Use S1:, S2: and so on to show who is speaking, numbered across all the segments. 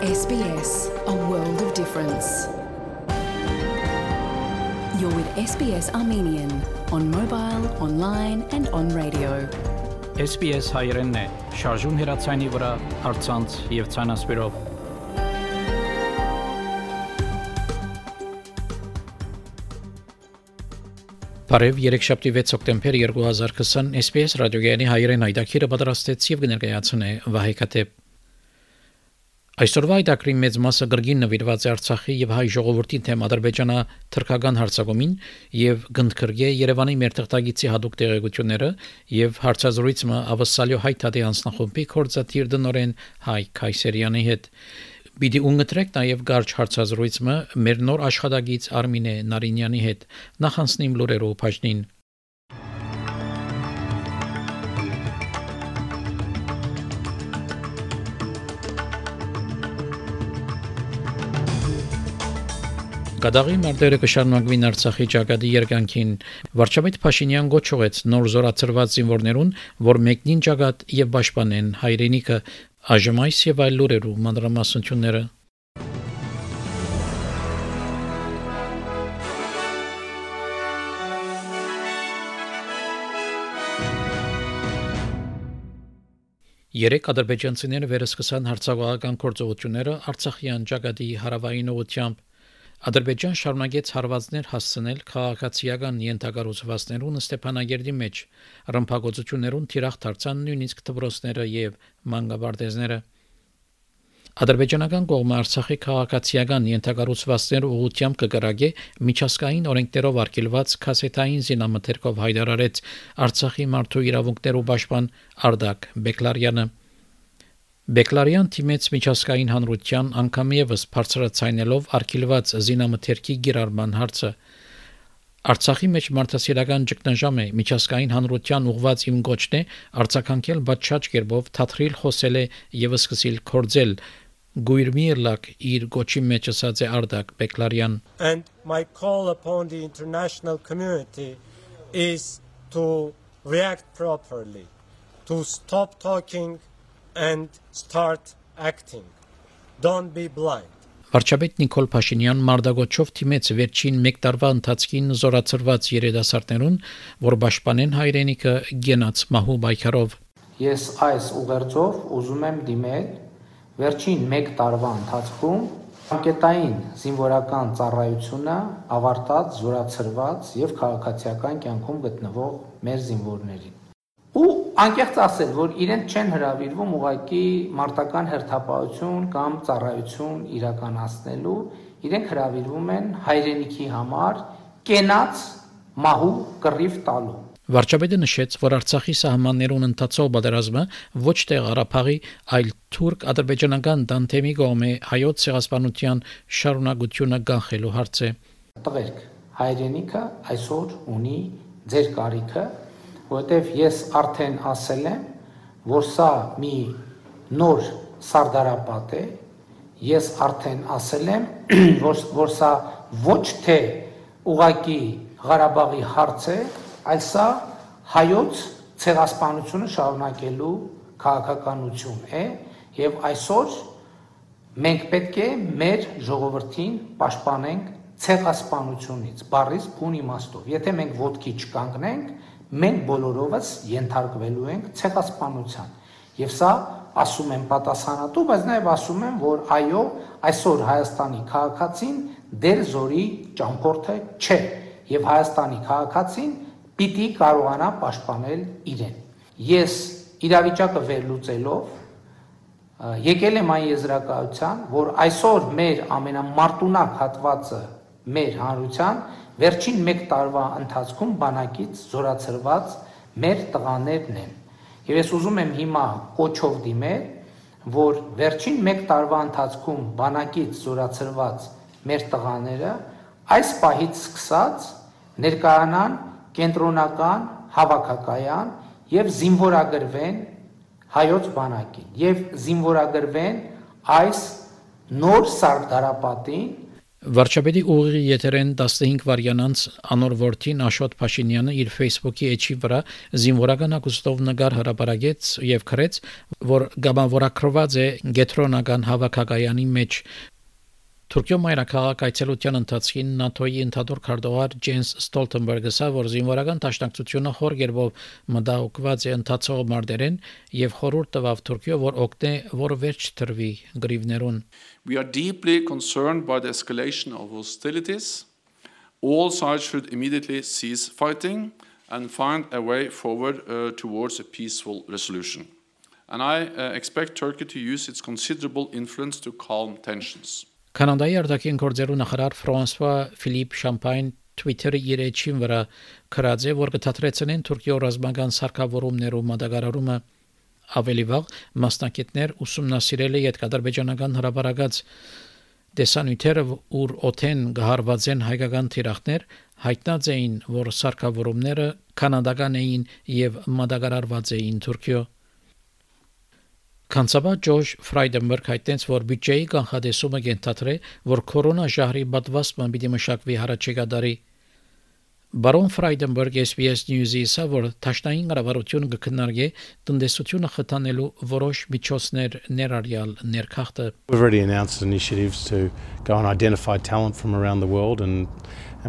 S1: SBS, a world of difference. You're with SBS Armenian on mobile, online and on radio.
S2: SBS հայերենն է, շարժուն հեռացայինի վրա, առցանց եւ ցանասպիրով։ Բարև երեքշաբթի 6 հոկտեմբեր 2020 SBS ռադիոգյանի հայերեն հայտակիրը պատրաստեց եւ կներկայացնե Վահե Քաթեփ։ Այսօրվա այդակրի մեծ մասը գրգին նվիրված է Արցախի եւ հայ ժողովրդի թեմ Ադրբեջանա թրքական հարձակումին եւ գնդքրգե Երևանի մեր թղթագիտի հadoop տեղեկությունները եւ հարցազրույցը ավսալյո հայտարարի անձնախումբի կորզաթիր դնորեն Հայ Քայսերյանի հետ։ Բիդի ունգտրեք նաեւ գարչ հարցազրույցը մեր նոր աշխատագից Արմինե Նարինյանի հետ։ Նախանցնիմ լուրերով բաժնին։ Գադաղի մարտերը կշարունակվին Արցախի ճակատի երկանքին վարչապետ Փաշինյան գոչուեց նոր զորացրված զինվորներուն, որ մեկնին ճակատ եւ պաշտպանեն հայրենիքը, այժմայս եւ այլ լուրերու մանրամասնությունները։ Երեք ադրբեջանցիները վերսկսան հարձակողական գործողությունները Արցախյան ճակատի հարավային ուղությամբ Ադրբեջան շարունակեց հարվածներ հասցնել քաղաքացիական ենթակառուցվածքներուն Ստեփանագերդի մեջ, ռմբակոծություններուն թիրախ դարձան նույնիսկ դպրոցները եւ մանկաբարձները։ Ադրբեջանական կողմը Արցախի քաղաքացիական ենթակառուցվածքներ ուղղությամբ կգրագե միջազգային օրենքներով արգելված կասետային զինամթերքով հայտարարեց Արցախի մարդու իրավունքներու պաշտպան Արդակ Բեկլարյանը։ Բեկլարյան թիմեց միջազգային հանրության անգամ եւս բարձրացնելով արգելված զինամթերքի գիրառման հարցը։ Արցախի մեջ մարդասիրական ճգնաժամ է միջազգային հանրության ուղղված իմ գոչն է արձագանքել բաճաճ կերպով թաթրիլ խոսել է եւ սկսել կորձել Գույրմիրլակ իր գոչի մեջ ասած է Արդակ Բեկլարյան։
S3: And my call upon the international community is to react properly, to stop talking and start acting. Don't be blind.
S2: Վարչապետ Նիկոլ Փաշինյան մարդագոչով թիմեց վերջին 1 տարվա ընթացքին զորացրված երիտասարդներուն, որ պաշտպանեն հայրենիքը գենաց մահու պայքարով։
S4: Ես այս ուղերձով ուզում եմ դիմել վերջին 1 տարվա ընթացքում անկետային զինվորական ծառայությունը ավարտած, զորացրված եւ քաղաքացիական կյանքում գտնվող մեր զինվորներին։ Ու անկեղծ ասել, որ իրենք չեն հրավիրվում ուղղակի մարտական հերթապահություն կամ ծառայություն իրականացնելու, իրենք հրավիրվում են հայրենիքի համար կենաց մահու կռիվ տալու։
S2: Վարչապետը նշեց, որ Արցախի սահմաններուն ընթացող պատերազմը ոչ թե Ղարաբաղի, այլ թուրք-ադրբեջանական դանդեմի կողմէ հայոց ցեղասպանության շարունակությունը կանխելու հարց է։
S4: Տղերք, հայրենիքը այսօր ունի ձեր կարիքը, որտեվ ես արդեն ասել եմ, որ սա մի նոր սարդարապատ է, ես արդեն ասել եմ, որ սա ոչ թե ուղղակի Ղարաբաղի հարց է, այլ սա հայոց ցեղասպանությունը շարունակելու քաղաքականություն է, եւ այսօր մենք պետք է մեր ժողովրդին պաշտպանենք ցեղասպանությունից, բառից բուն իմաստով։ Եթե մենք ոտքի չկանգնենք, մենք բոլորովս ենթարկվելու ենք ցեղասպանության։ Եվ սա ասում եմ պատասխանատու, բայց նաև ասում եմ, որ այո, այսօր Հայաստանի քաղաքացին դեր զորի ճամփորդը չէ, եւ Հայաստանի քաղաքացին պիտի կարողանա պաշտպանել իրեն։ Ես իրավիճակը վերլուծելով եկել եմ այն եզրակացության, որ այսօր մեր ամենամարտունակ հատվածը մեր հանրության վերջին 1 տարվա ընթացքում բանակից զորացրված մեր տղաներն են։ Եվ ես ուզում եմ հիմա կոչով դիմել, որ վերջին 1 տարվա ընթացքում բանակից զորացրված մեր տղաները այս պահից սկսած ներկայանան կենտրոնական հավաքակայան եւ զինվորագրվեն հայոց բանակին եւ զինվորագրվեն այս նոր սարդարապատին։
S2: Վարչապետի ուղիղ եթերեն 15 վարյանանց անոր որդին Աշոտ Փաշինյանը իր Facebook-ի էջի վրա զինվորական ակուստով նկար հրապարակեց եւ քրեց, որ գամավորակրված է գետրոնական հավաքակայանի մեջ։ Թուրքիո մայրաքաղաք այցելության ընթացքին ՆԱԹՕ-ի ընդհանուր քարտուղար Ջենս Ստոլտենբերգը ասա, որ զինվորական դաշնակցությունը խոր գերբով մտահոգված է ընթացող մարտերեն եւ խորհուրդ տվավ Թուրքիո, որ օգնե, որ վերջ թրվի գրիվներուն։
S5: We are deeply concerned by the escalation of hostilities. All sides should immediately cease fighting and find a way forward towards a peaceful resolution. And I expect Turkey to use its considerable influence to calm tensions.
S2: Կանադայի արտաքին գործերու նախարար Ֆրանսուଆ Ֆիլիպ Շամպայն Twitter-ի իր էջին վրա քրած է, որ կթատրեցնեն Թուրքիո ռազմական սարքավորումներու մատակարարումը ավելի վաղ մասնակիցներ ուսումնասիրել է յետկադրբեջանական հրապարակած դեսանյութերը, ուր օթեն գահարված են հայկական թիրախներ, հայտնած էին, որ սարքավորումները կանադական էին եւ մատակարարված էին Թուրքիո։ Կանցաբա Ջորջ Ֆրայդենբերգ հայտնեց, որ բյուջեի կանխատեսումը կենթադրե, որ կորոնա ժահրի պատվաստման պիտի մշակվի հարաճեկա դարի։ Բարոն Ֆրայդենբերգ SBS News-ի ասա, որ Թաշնային կառավարությունը կքննարկի տնտեսությունը խթանելու որոշ միջոցներ ներառյալ ներքախտը։
S6: We've already announced initiatives to go and identify talent from around the world and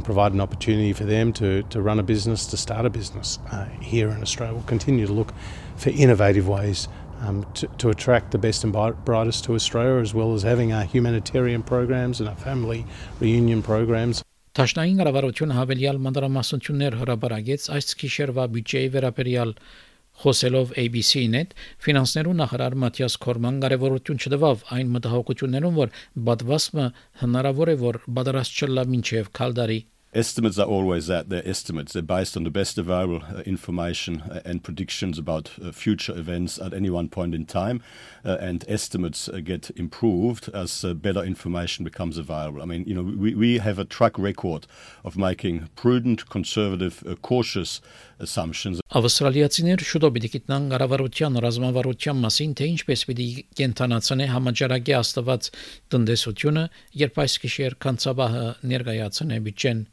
S6: provide an opportunity for them to run a business, to start a business here in Australia. We'll continue to look for innovative ways to attract the best and brightest to Australia, as well as having our humanitarian programs and our family reunion programs.
S2: Թաշնային կառավարությունը հավելյալ մանրամասնություններ հրապարակեց այս գիշերվա բյուջեի վերաբերյալ խոսելով ABC-net, ֆինանսներու նախարար Մաթիաս Քորման կարևորություն չտվավ այն մտահոգություններուն, որ պատվաստումը հնարավոր է որ պատրաստ չլա մինչև քալդարի։
S7: Estimates are always that. They're estimates. They're based on the best available information and predictions about future events at any one point in time. And estimates get improved as better information becomes available. I mean, you know, we have a track record of making prudent, conservative, cautious assumptions.
S2: Ավստրալիացիներ շուտով պիտի գիտնան կառավարության ռազմավարության մասին, թե ինչպես պիտի կենթանացնի համաճարակի աստված տնտեսությունը, երբ այս գիշեր կանցաբահը ներկայացնե բյուջեն։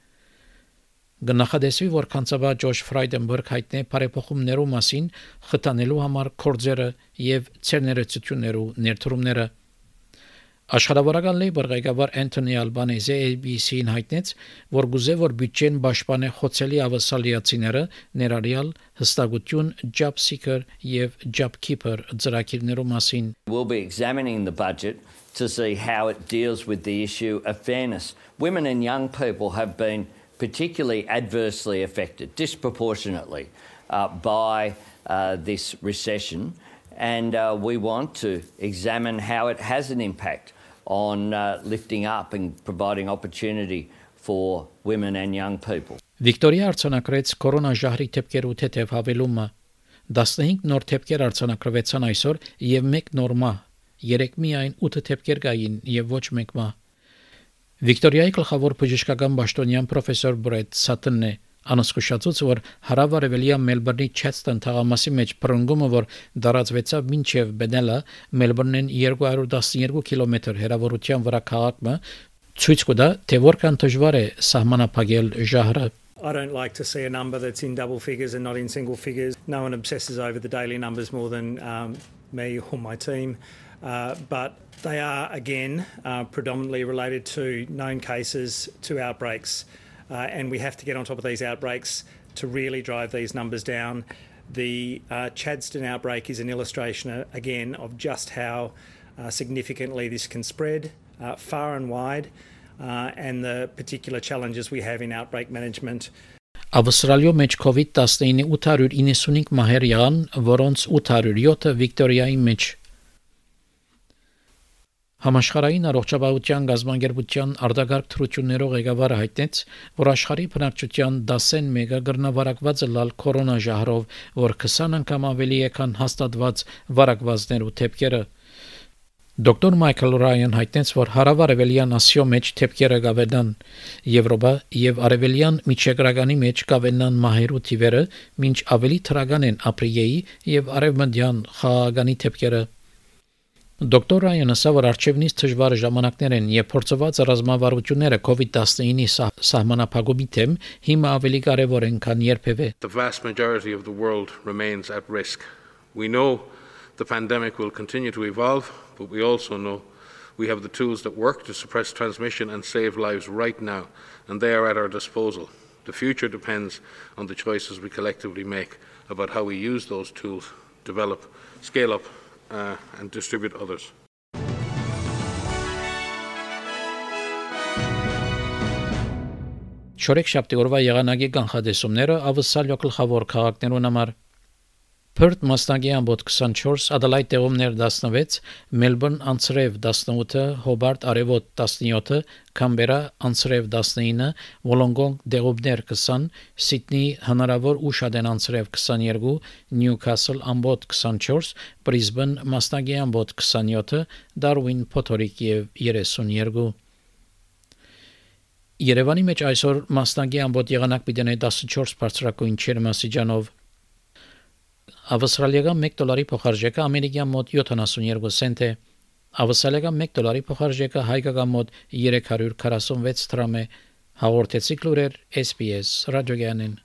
S2: Գնահատեսվի, որ կանցաբա Ջորջ Ֆրայդենբերգ հայտնե բարեփոխումներու մասին խթանելու համար կորձերը եւ ցերներեցություններու ներդրումները։ Աշխարհավարական լեյբր ղեկավար Անթոնի Ալբանեզը ABC-ին հայտնեց, որ գուզե որ բյուջեն պաշտպանե խոցելի ավսալիացիները ներառյալ հստակություն, job seeker եւ job keeper ծրագիրներու մասին։
S8: We'll be examining the budget to see how it deals with the issue of fairness. Women and young people have been particularly adversely affected, disproportionately, by this recession, and we want to examine how it has an impact on lifting up and providing opportunity for women and young people.
S2: Վիկտորիա արձանագրեց կորոնաժահրի թեփքերու թեթև հավելումը։ 15 նոր թեփքեր արձանագրվեցան այսօր եւ 1 նոր մահ, 3 միայն 8 թեփքեր կային եւ ոչ 1 մահ։ Վիկտորիայի գլխավոր բժշկական պաշտոնյան պրոֆեսոր Բրեդ Սաթոնն է անսկուշացուց, որ հարավարևելյան Մելբուրնի Չեսթոն թաղամասի մեջ բռնգումը, որ դարածվեցավ մինչև Բենելա, Մելբուրնեն 212 կիլոմետր հեռավորության վրա քաղաքը, ցույց կտա, թե որքան դժվար է սահմանափակել ժահրը։
S9: I don't like to see a number that's in double figures and not in single figures. No one obsesses over the daily numbers more than me or my team. But they are, again, predominantly related to known cases, to outbreaks. And we have to get on top of these outbreaks to really drive these numbers down. The Chadstone outbreak is an illustration, again, of just how significantly this can spread far and wide, and the particular challenges we have in outbreak management.
S2: Ավստրալիո մեջ COVID-19 895 մահեր եղան, որոնց 807-ը Վիկտորիայի մեջ։ Համաշխարհային առողջապահության գազագերբության արտագաղթ թռություններով ղեկավարը հայտնեց, որ աշխարհի բնակչության 10%-ը գրնավարակված է լալ կորոնաժահրով, որ 20 անգամ ավելի է, քան հաստատված վարակվածներու թեփքերը։ Դոկտոր Մայքլ Ռայան հայտնեց, որ հարավարևելյան Ասիո մեջ թեփքերը կավենան, Եվրոպա եւ արևելյան միջերկրականի մեջ կավենան մահերու թիվերը, մինչ ավելի թրական են ապրիլի եւ արևմտյան խաղաղանի թեփքերը։ Դոկտոր Ռայանը ասա, որ արժևնից դժվար ժամանակներ են, եւ փորձված ռազմավարությունները COVID-19-ի սահմանափակումի թեմ հիմա ավելի կարեւոր են, քան երբևէ։
S10: The vast majority of the world remains at risk. We know the pandemic will continue to evolve, but we also know we have the tools that work to suppress transmission and save lives right now, and they are at our disposal. The future depends on the choices we collectively make about how we use those tools, develop, scale up, and distribute others.
S2: Չորեքշաբթի օրվա եղանակի կանխատեսումները ավսալյո գլխավոր քաղաքներուն համար Perth Մասնագի ամբոտ 24, Adelaide տեղումներ 16, Melbourne անցրև 18, Hobart արևոտ 17, Canberra անցրև 19, Wollongong տեղումներ 20, Sydney հնարավոր ուշադեն անցրև 22, Newcastle ամբոտ 24, Brisbane Մասնագի ամբոտ 27, Darwin փոթորիկ եւ 32 Երևանի մեջ այսօր Մասնագի ամբոտ եղանակ պիտի 14 բարձրակույն չերմասիջանով Ավստրալիական $1 փոխարժեքը ամերիկյան մոտ 72 سنت է։ Ավստրալիական $1 փոխարժեքը հայկական մոտ 346 դրամ է։ Հաղորդեցի լուրեր SPS ռադիոգյանին։